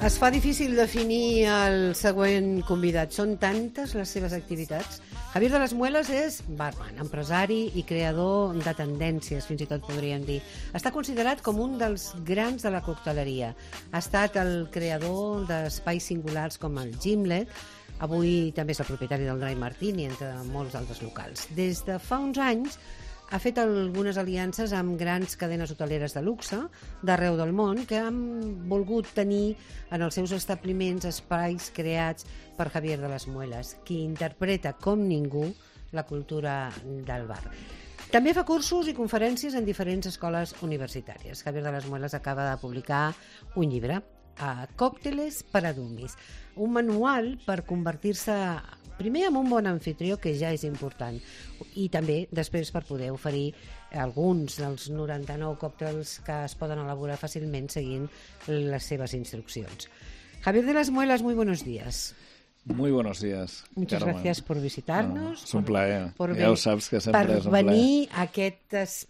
Es fa difícil definir el següent convidat. Són tantes les seves activitats. Javier de las Muelas és barman, empresari i creador de tendències, fins i tot podríem dir. Està considerat com un dels grans de la cocteleria. Ha estat el creador d'espais singulars com el Gimlet. Avui també és el propietari del Dry Martini, entre molts altres locals. Des de fa uns anys ha fet algunes aliances amb grans cadenes hoteleres de luxe d'arreu del món que han volgut tenir en els seus establiments espais creats per Javier de las Muelas, qui interpreta com ningú la cultura del bar. També fa cursos i conferències en diferents escoles universitàries. Javier de las Muelas acaba de publicar un llibre, Còcteles para Dummies, un manual per convertir-se primer en un bon anfitrió, que ja és important, i també després per poder oferir alguns dels 99 còctels que es poden elaborar fàcilment seguint les seves instruccions. Javier de las Muelas, muy buenos días. Muy buenos días, Muchas Carmen. gracias por visitarnos. És un plaer, ja ho saps que sempre és un plaer. Per plaer. venir a aquest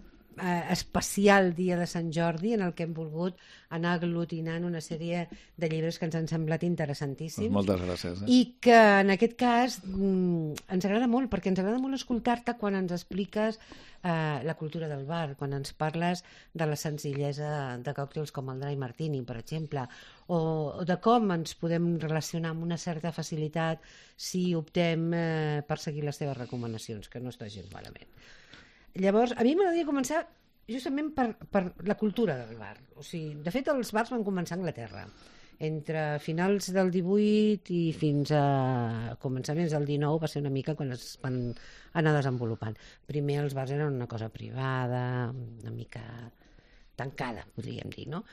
especial dia de Sant Jordi en el que hem volgut anar aglutinant una sèrie de llibres que ens han semblat interessantíssims. Moltes gràcies. I que en aquest cas ens agrada molt, perquè ens agrada molt escoltar-te quan ens expliques la cultura del bar, quan ens parles de la senzillesa de còctels com el Dry Martini, per exemple, o de com ens podem relacionar amb una certa facilitat si optem per seguir les teves recomanacions, que no està gens malament. Llavors, a mi m'agradaria començar justament per la cultura del bar. O sigui, de fet, els bars van començar a Anglaterra. Entre finals del 18 i fins a començaments del 19 va ser una mica quan es van anar desenvolupant. Primer els bars eren una cosa privada, una mica tancada, podríem dir, no?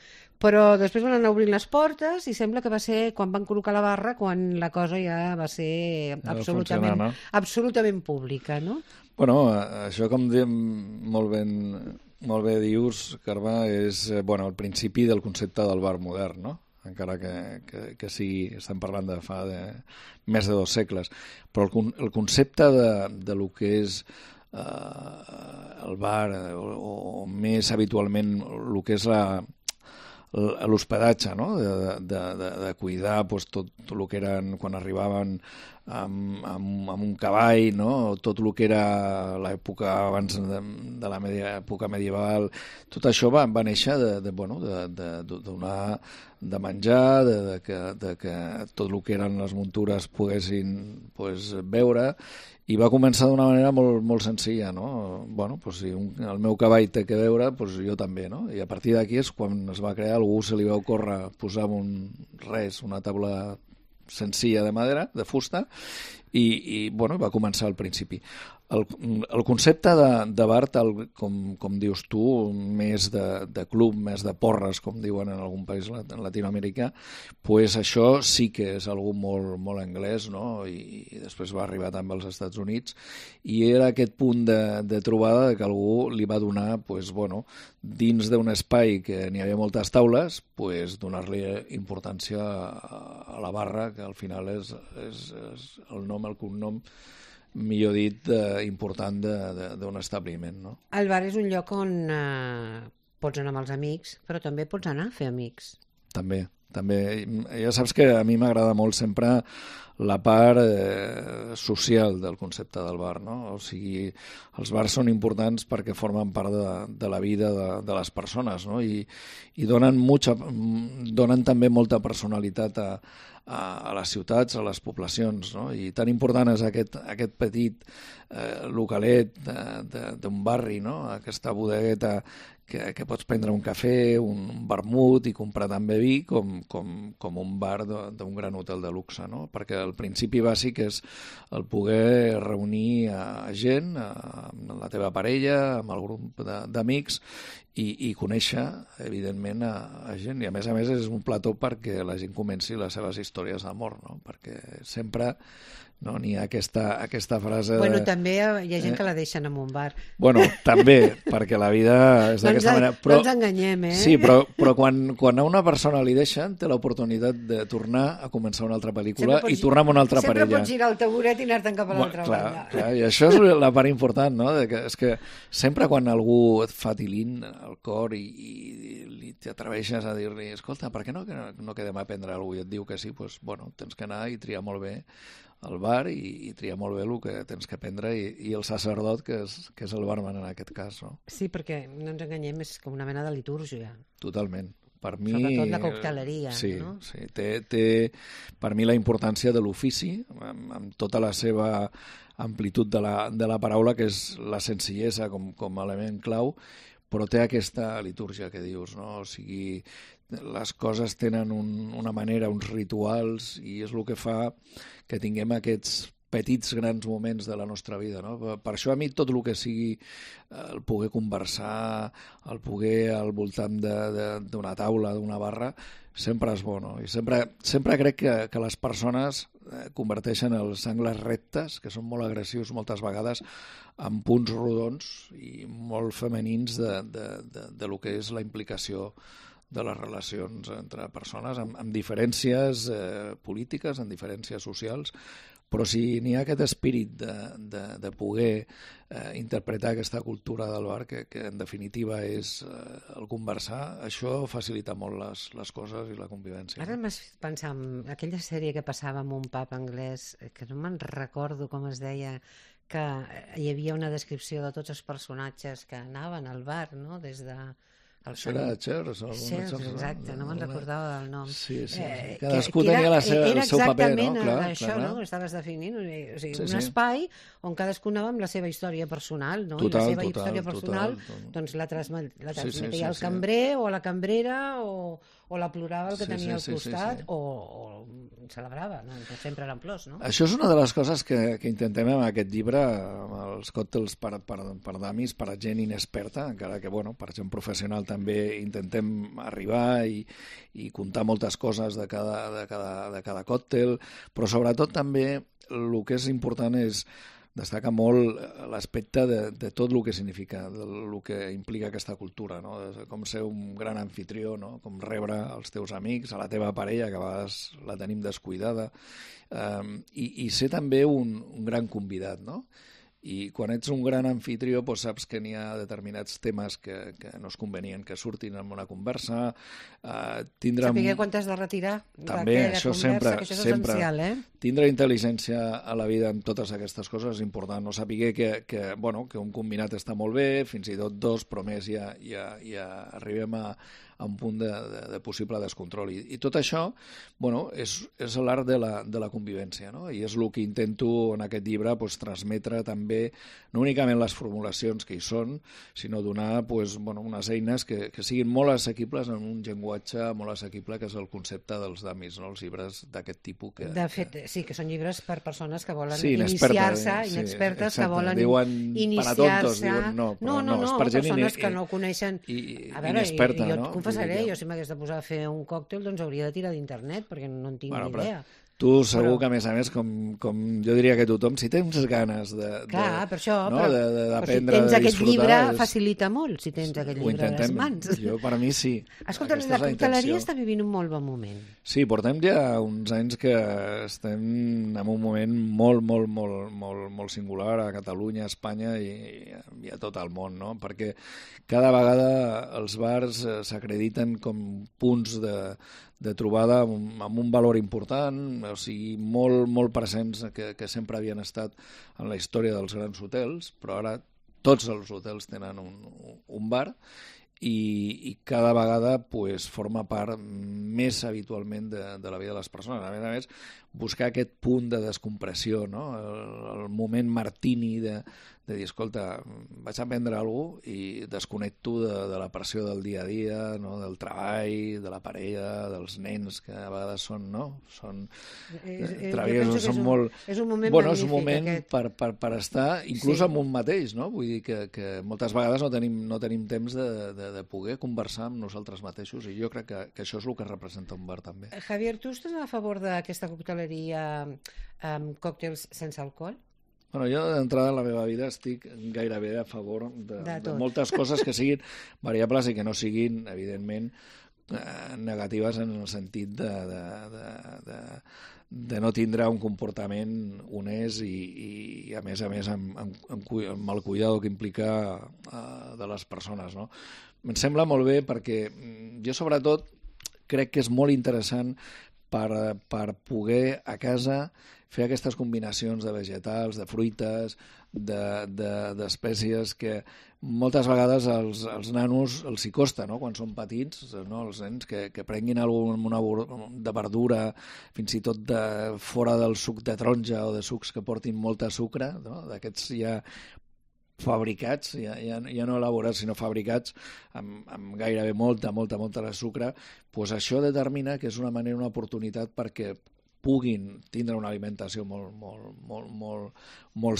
Però després van anar obrint les portes i sembla que va ser quan van col·locar la barra quan la cosa ja va ser absolutament pública, no? Bueno, això com diem molt bé dius, Carme, és el principi del concepte del bar modern, no? Encara que sí, estem parlant de fa més de 2 segles. Però el concepte de lo que és el bar, o més habitualment el que és l'hospedatge, no? De cuidar tot el que eren quan arribaven amb un cavall, no? Tot el que era l'època abans de l'època medieval, tot això va néixer de donar de menjar, de que tot el que eren les muntures poguessin beure, i va començar d'una manera molt senzilla, no? Si el meu cavall té que beure, jo també, no? I a partir d'aquí és quan es va crear, algú se li va ocórrer posar una taula senzilla de madera, de fusta, i va començar al principi. El concepte de bar, tal com dius tu, més de club, més de porres, com diuen en algun país latinoamericà, això sí que és algo molt anglès, no? I després va arribar també als Estats Units, i era aquest punt de trobada que algú li va donar, dins d'un espai que n'hi havia moltes taules, donar-li importància a la barra, que al final és el nom, el cognom, millor dit, important d'un establiment, no? El bar és un lloc on pots anar amb els amics, però també pots anar a fer amics. També. Ja saps que a mi m'agrada molt sempre la part social del concepte del bar, no? O sigui, els bars són importants perquè formen part de la vida de les persones, no? I donen també molta personalitat a les ciutats, a les poblacions, no? I tan important és aquest petit localet d'un barri, no? Aquesta bodegueta que pots prendre un cafè, un vermut i comprar també vi com un bar d'un gran hotel de luxe, no? Perquè el principi bàsic és el poder reunir a gent, amb la teva parella, amb el grup d'amics, i conèixer, evidentment, a gent. I a més és un plató perquè la gent comenci les seves històries d'amor, no? Perquè sempre no? N'hi ha aquesta frase Bueno, també hi ha gent que la deixen en un bar. Bueno, també, perquè la vida és d'aquesta manera. No ens enganyem, Sí, però quan a una persona li deixen, té l'oportunitat de tornar a començar una altra pel·lícula i tornar amb una altra parella. Sempre pots girar el taburet i anar-te'n cap a l'altra banda. Clar, i això és la part important, no? És que sempre quan algú et fa tilín al cor i t'atreveixes a dir-li, escolta, per què no quedem a prendre alguna cosa? I et diu que sí, doncs, bueno, tens que anar i triar molt bé al bar i triar molt bé el que tens que prendre i el sacerdot, que és el barman en aquest cas, no? Sí, perquè no ens enganyem, és com una mena de litúrgia. Totalment. Per mi, sobretot la cocteleria, sí, no? Sí, té per mi la importància de l'ofici, amb tota la seva amplitud de la paraula, que és la senzillesa com a element clau, però té aquesta litúrgia que dius, no? O sigui, les coses tenen una manera, uns rituals, i és el que fa que tinguem aquests petits grans moments de la nostra vida, no? Per això a mi tot el que sigui el poder conversar, el poder al voltant d'una taula, d'una barra, sempre és bo, no? I sempre crec que les persones converteixen els angles rectes, que són molt agressius moltes vegades, en punts rodons i molt femenins de lo que és la implicació de les relacions entre persones, amb diferències polítiques, amb diferències socials, però si n'hi ha aquest espírit de poder interpretar aquesta cultura del bar, que en definitiva és el conversar, això facilita molt les coses i la convivència. Ara m'has pensat en aquella sèrie que passava en un pub anglès, que no me'n recordo com es deia, que hi havia una descripció de tots els personatges que anaven al bar, no?, des de... Això era Cheers, exacte, no me'n recordava del nom. Sí. Cadascú tenia el seu paper, no? Era això, no? Estaves definint, o sigui, un espai on cadascú anava amb la seva història personal, no? I la seva història personal doncs la transmetia al cambrer o a la cambrera o la plorava el que tenia al costat o celebrava, no? Sempre eren plors, no? Això és una de les coses que intentem amb aquest llibre, amb els còctels per damis, per a gent inexperta, encara que, bueno, per gent professional també intentem arribar i contar moltes coses de cada còctel, però sobretot també el que és important és destaca molt l'aspecte de tot el que significa, el que implica aquesta cultura, no? Com ser un gran anfitrió, no? Com rebre els teus amics, a la teva parella, que a vegades la tenim descuidada, i ser també un gran convidat, no? I quan ets un gran anfitrió doncs saps que n'hi ha determinats temes que no és convenient que surtin en una conversa. Saber quan t'has de retirar també, això conversa, que això és essencial, Tindre intel·ligència a la vida en totes aquestes coses és important. No saber que un combinat està molt bé, fins i tot dos, però més ja arribem a un punt de possible descontrol. I tot això és l'art de la convivència, no? I és el que intento en aquest llibre transmetre també, no únicament les formulacions que hi són, sinó donar unes eines que siguin molt assequibles en un llenguatge molt assequible, que és el concepte dels damis, no? Els llibres d'aquest tipus. De fet, sí, que són llibres per persones que volen iniciar-se, inexpertes que volen iniciar-se. No, persones que no coneixen. A veure, jo et confessaré, jo si m'hagués de posar a fer un còctel, doncs hauria de tirar d'internet, perquè no en tinc ni idea. Tu segur que, a més, com jo diria que tothom, si tens ganes per això, d'aprendre, si tens aquest llibre, facilita molt, si tens aquest llibre a les mans. Jo, per mi, sí. Escolta, la cocteleria està vivint un molt bon moment. Sí, portem ja uns anys que estem en un moment molt singular a Catalunya, a Espanya i a tot el món, no? Perquè cada vegada els bars s'acrediten com punts de trobada amb un valor important, o sigui, molt presents, que sempre havien estat en la història dels grans hotels, però ara tots els hotels tenen un bar i cada vegada forma part més habitualment de la vida de les persones. A més, buscar aquest punt de descompressió, no? El moment martini de dir, escolta, vaig a prendre alguna cosa i desconnecto de la pressió del dia a dia, no? Del treball, de la parella, dels nens, que a vegades són, no? Travessos, són molt... És un moment magnífic, és un moment per estar, inclús amb un mateix, no? Vull dir que moltes vegades no tenim temps de poder conversar amb nosaltres mateixos, i jo crec que això és el que representa un bar, també. Javier, tu estàs a favor d'aquesta cocteleria cocteleria amb còctels sense alcohol? Bueno, jo d'entrada en la meva vida estic gairebé a favor de moltes coses que siguin variables i que no siguin, evidentment, negatives en el sentit de no tindre un comportament honest i a més amb el cuidado que implica de les persones, no? Em sembla molt bé perquè jo sobretot crec que és molt interessant per poder a casa fer aquestes combinacions de vegetals, de fruites, d'espècies que moltes vegades als nanos els hi costa, no? Quan són petits, no? Els nens que prenguin alguna de verdura, fins i tot de fora del suc de taronja o de sucs que portin molta sucre, no? D'aquests ja fabricats, ja no elaborats sinó fabricats amb gairebé molta de sucre, doncs això determina que és una manera, una oportunitat perquè puguin tindre una alimentació molt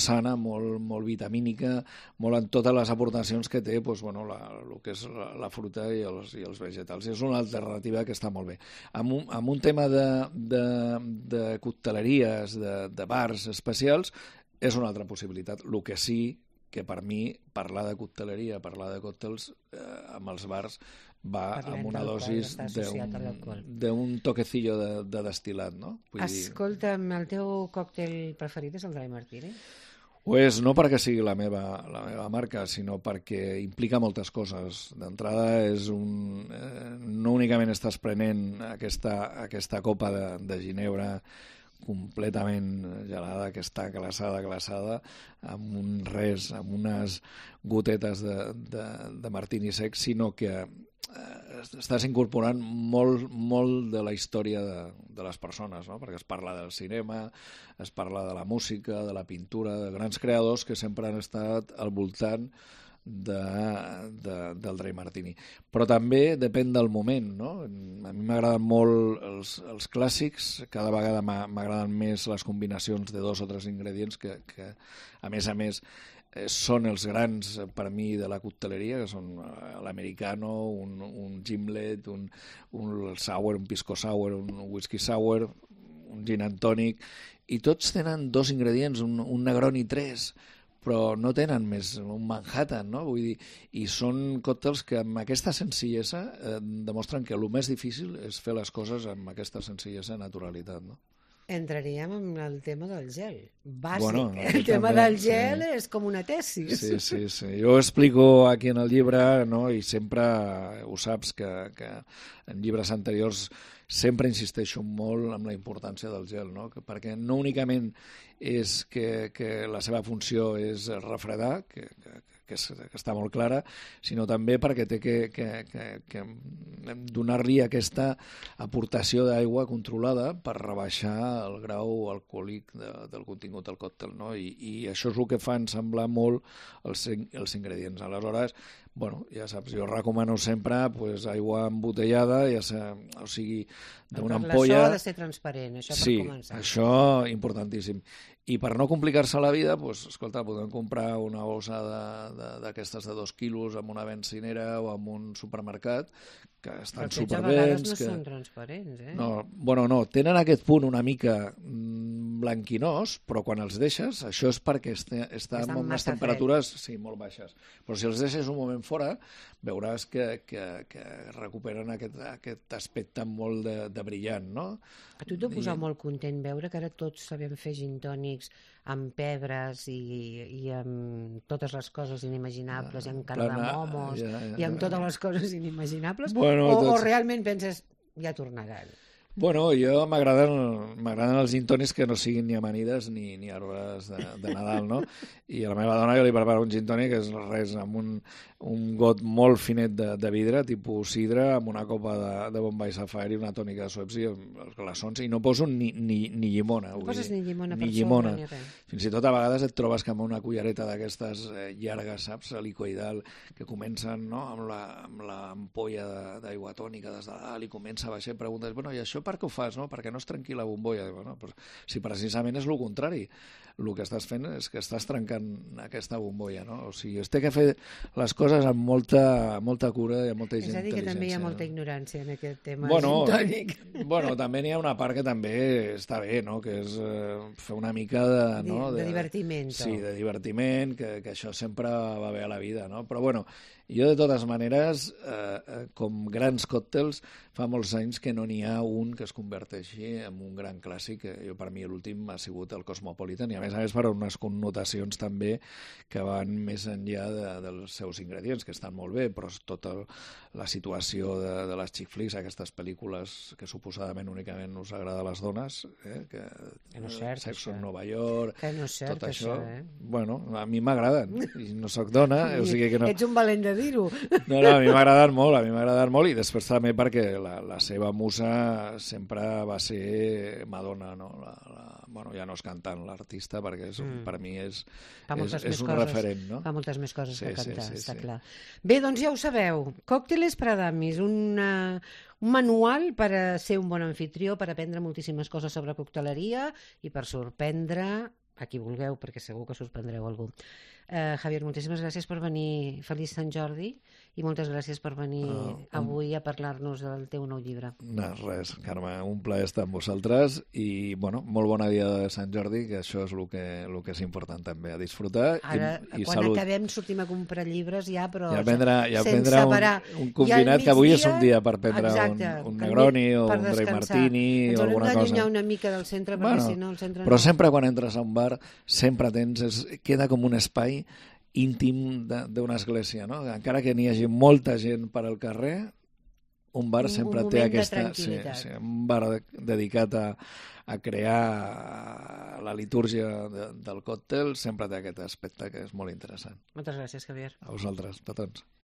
sana, molt vitamínica, molt en totes les aportacions que té doncs, bueno, el que és la fruta i els vegetals. És una alternativa que està molt bé. Amb un tema de cocteleries, de bars especials, és una altra possibilitat. El que sí que per mi parlar de cocteleria, parlar de còctels amb els bars va amb una dosis d'un toquecillo de destil·lat, no? Escolta'm, el teu còctel preferit és el Dry Martini? Pues no perquè sigui la meva marca, sinó perquè implica moltes coses. D'entrada, no únicament estàs prenent aquesta copa de ginebra completament gelada, que està glaçada, amb unes gotetes de martini sec, sinó que estàs incorporant molt de la història de les persones, no? Perquè es parla del cinema, es parla de la música, de la pintura, de grans creadors que sempre han estat al voltant del Dry Martini. Però també depèn del moment, no? A mi m'agraden molt els clàssics, cada vegada m'agraden més les combinacions de 2 o 3 ingredients que a més, són els grans per mi de la cocteleria, que són l'americano, un gimlet, un sour, un pisco sour, un whisky sour, un gin and tonic, i tots tenen 2 ingredients, un Negroni 3, però no tenen més, un Manhattan, no? Vull dir, i són còctels que amb aquesta senzillesa demostren que el més difícil és fer les coses amb aquesta senzillesa i naturalitat, no? Entraríem en el tema del gel. Bàsic. El tema del gel és com una tesis. Sí. Jo ho explico aquí en el llibre, no? I sempre ho saps que en llibres anteriors sempre insisteixo molt en la importància del gel, no? Perquè no únicament és que la seva funció és refredar, que està molt clara, sinó també perquè té que donar-li aquesta aportació d'aigua controlada per rebaixar el grau alcohòlic del contingut del còctel, no? I això és el que fa ensamblar molt els ingredients. Aleshores, bueno, ja saps, jo recomano sempre aigua embotellada, o sigui, d'una ampolla... La so ha de ser transparent, això per començar. Sí, això importantíssim. I per no complicar-se la vida, escolta, podem comprar una bossa d'aquestes de 2 quilos amb una benzinera o amb un supermercat, que estan superbens. Però a vegades no són transparents, eh? No, tenen aquest punt una mica blanquinós, però quan els deixes, això és perquè està amb unes temperatures molt baixes. Però si els deixes un moment fora, veuràs que recuperen aquest aspecte molt de brillant, no? A tu t'ho posa molt content veure que ara tots sabem fer gin tònics amb pebres i amb totes les coses inimaginables, i amb cardamomos, i amb totes les coses inimaginables, o realment penses, ja tornaran? Bueno, jo m'agraden els gin tònics que no siguin ni amanides ni arbres de Nadal, no? I a la meva dona jo li preparo un gin tònic que és res amb un got molt finet de vidre, tipus sidra, amb una copa de Bombay Sapphire i una tònica de Schweppes i els glaçons, i no poso ni llimona. No poses ni llimona per sobre ni res. Fins i tot a vegades et trobes que amb una cullereta d'aquestes llargues, saps, helicoidal, que comencen, no?, amb l'ampolla d'aigua tònica des de dalt i comença a baixar i preguntes, bueno, i això per què ho fas? No? Perquè no es trenqui la bombolla. Bueno, però, si precisament és el contrari, el que estàs fent és que estàs trencant aquesta bombolla, no? O sigui, es té que fer les coses amb molta cura i amb molta intel·ligència. És a dir, que també hi ha molta ignorància en aquest tema gintònic. Bueno, també n'hi ha una part que també està bé, no? Que és fer una mica de divertiment. Sí, de divertiment, que això sempre va bé a la vida, no? Però bueno, jo de totes maneres, com grans còctels, fa molts anys que no n'hi ha un que es converteixi en un gran clàssic. Jo, per mi, l'últim ha sigut el Cosmopolitan, i a més per unes connotacions també que van més enllà dels seus ingredients, que estan molt bé, però tota la situació de les chick flicks, aquestes pel·lícules que suposadament únicament us agrada a les dones, que no és cert, Sexo en Nova York, que no és cert, tot això, bueno, a mi m'agraden, i no sóc dona, o sigui que no... Ets un valent de dir-ho. No, a mi m'ha agradat molt, i després també perquè la seva musa sempre va ser Madonna, no? Bueno, ja no és cantant l'artista, perquè per mi és un referent, no? Fa moltes més coses que cantar, està clar. Bé, doncs ja ho sabeu, Còcteles para Damis, un manual per a ser un bon anfitrió, per aprendre moltíssimes coses sobre cocteleria i per sorprendre a qui vulgueu, perquè segur que sorprendreu algú. Javier, moltíssimes gràcies per venir. Feliç Sant Jordi i moltes gràcies per venir avui a parlar-nos del teu nou llibre. No, res, Carme, un plaer estar amb vosaltres i, bueno, molt bona dia de Sant Jordi, que això és el que és important també, a disfrutar. Ara, i quan salut. Acabem, sortim a comprar llibres ja, però sense parar. Un confinat que avui és un dia per prendre un Negroni o un Dry Martini o alguna cosa. Ens haurem d'allunyar una mica del centre, perquè si no el centre no... Però sempre quan entres a un bar, sempre queda com un espai íntim d'una església, no? Encara que n'hi hagi molta gent per al carrer, un bar sempre té aquesta... Sí, un bar dedicat a crear la litúrgia del còctel sempre té aquest aspecte que és molt interessant. Moltes gràcies, Javier. A vosaltres, petons.